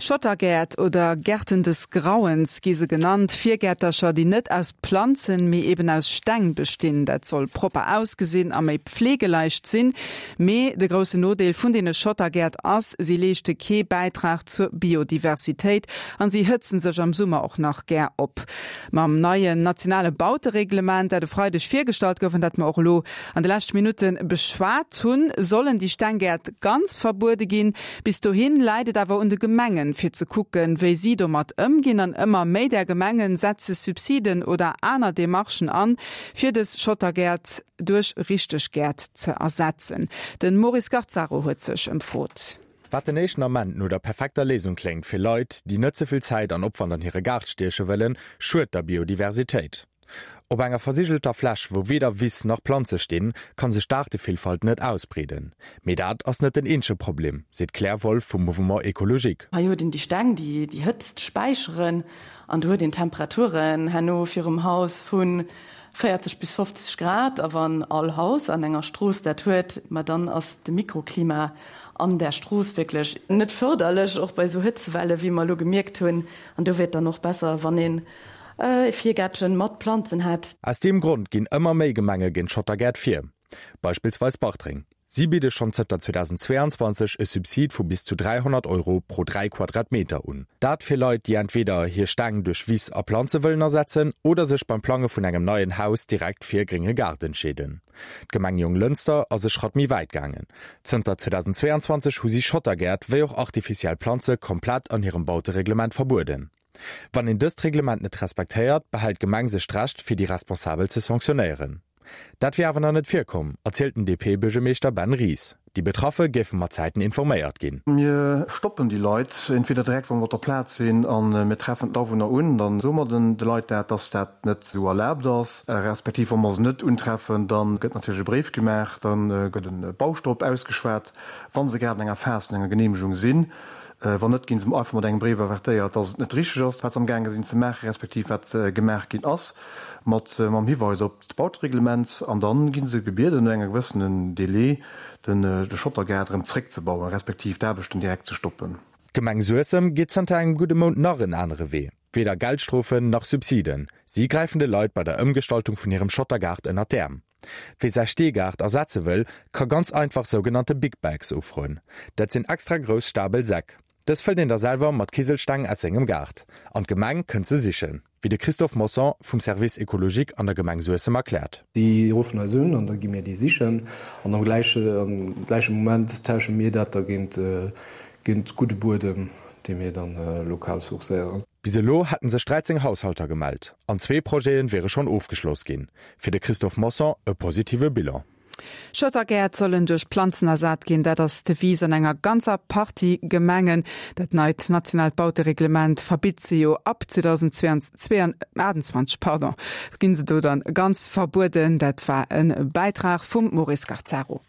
Schottergäert oder Gärten des Grauens gi se genannt, Virgäertercher, déi net aus Planzen, mee eben aus Steng bestinn. Dat soll propper ausgesinn a méi pflegeleicht sinn. Mee de groussen Nodeel vun deene Schottergäert ass, si leeschte kee Bäitrag zur Biodiversitéit an si hëtzen sech am Summer och nach gär op. Mam neien nationale Bautereglement, dat e Freideg virgestallt gouf an dat mer och elo an de leschte Minutte beschwat hunn, sollen déi Stenggäert ganz verbuede ginn. Bis dohin läit et awer un de Gemengen, fir ze kucken, wéi si domat ëmginn. An ëmmer méi där Gemengen setze Subsiden oder aner Demarchen an, fir dës Schottergäert duerch richteg Gäert ze ersetzen. De Maurice Garzaro huet sech ëmfrot. Wat den éischten Ament no der perfekter Léisung kléngt fir Leit, déi net ze vill Zäit an Opwand an hire Gaart stieche wëllen, schued der Biodiversitéit. Op enger versigelter Fläch, wou weder Wiss nach Planze stinn, kann sech d'Aartevillfalt net ausbreeden. Mee dat ass net den eenzege Problem, seet d'Claire Wolff vum Mouvement Ecologique. Hei huet een déi Steng, déi déi Hëtzt späicheren an do huet een Temperaturen herno virum Haus vu 40 bis 50 Grad. A wann all Haus an enger Strooss dat huet, ma dann ass de Mikroklima an där Strooss wierklech net fërderlech, och bei esou Hëtzewelle wéi mer elo gemierkt hunn. An do wier et dann och besser, wann een e Virgäertchen mat Planzen hätt. Aus deem Grond ginn ëmmer méi Gemenge géint Schottergäert vir. Beispillsweis Bartreng. Si bidde schonn zënter 2022 e Subsid vu bis zu 300 Euro pro 3 Quadratmeter un. Dat fir Leit, déi entweder hir Steng duerch Wiss a Planze wëllen ersetzen oder sech beim Plange vun engem neien Haus direkt fir e grénge Gaart entscheeden. D'Gemeng Jonglënster ass e Schratt méi wäit gaangen. Zënter 2022 hu si Schottergäert wéi och artificiell Planze komplett an hirem Bautereglement verbueden. Wann een dëst Reglement net respektéiert, behält d'Gemeng sech d'Recht, fir déi Responsabel ze sanktionéieren. Dat wier awer nach net virkomm, erzielt den DP-Buergermeeschter Ben Ries. Déi Betraffe géife mat Zäiten informéiert ginn. Mir stoppen déi Leit entweder direkt, wa mer op der Plaz sinn a mir treffen d'Awunner un, da soe mer den de Leit dat, dass dat net esou erlaabt ass, respektiv wa mer se net untreffen, da gëtt natierlech e Bréif gemaach, da gëtt e Baustopp ausgeschwat, wa se grad an enger Phas vun enger Geneemegung sinn. Wann net, gi se einfach mat engem Bréif avertéiert, dass et net richteg ass, wat se amgaange sinn ze maachen, respektiv wat gemaach ginn ass, mat mam Hiweis op d'Bautereglement. An da gi se gebieden, no enger gewëssenen Délai de Schottergaart erëm zréckzebauen, respektiv d'Aarbechten direkt ze stoppen. D'Gemeng Suessem geet zanter engem gudde Mount nach en anere Wee. Weder Geldstrofen nach Subsiden, si gräifen de Leit bei der Ëmgestaltung vun hirem Schottergaart ënnert d'Äerm. Wie säi Steegaart ersetze wëll, ka ganz einfach sougenannte Big Bags ufroen. Dat sinn extra grouss Stabel Säck. Dës fëllt een da selwer mat Kiselsteng aus sengem Gaart. An d'Gemeng kënnt se sichen, wéi de Christophe Mossong vum Service écologique an der Gemeng Suessem erkläert. Déi ruffen eis un an da gi mir déi sichen an am gläiche gläiche Moment tausche mir dat da géint géint gudde Buedem, dee mir dann lokal sourcéieren. Bis elo hätten sech 13 Haushalter gemellt an zwee Projete wiere schonn ofgeschloss ginn. Fir de Christophe Mossong e positive Bilan. Schottergäert sollen duerch Planzen ersat ginn, dat ass d'Devise an enger ganzer Partie Gemengen. Dat neit nationaalt Bautereglement verbitt se jo ab 2028, pardon, ginn se do dann ganz verbueden. Dat war e Bäitrag vum Maurice Garzaro.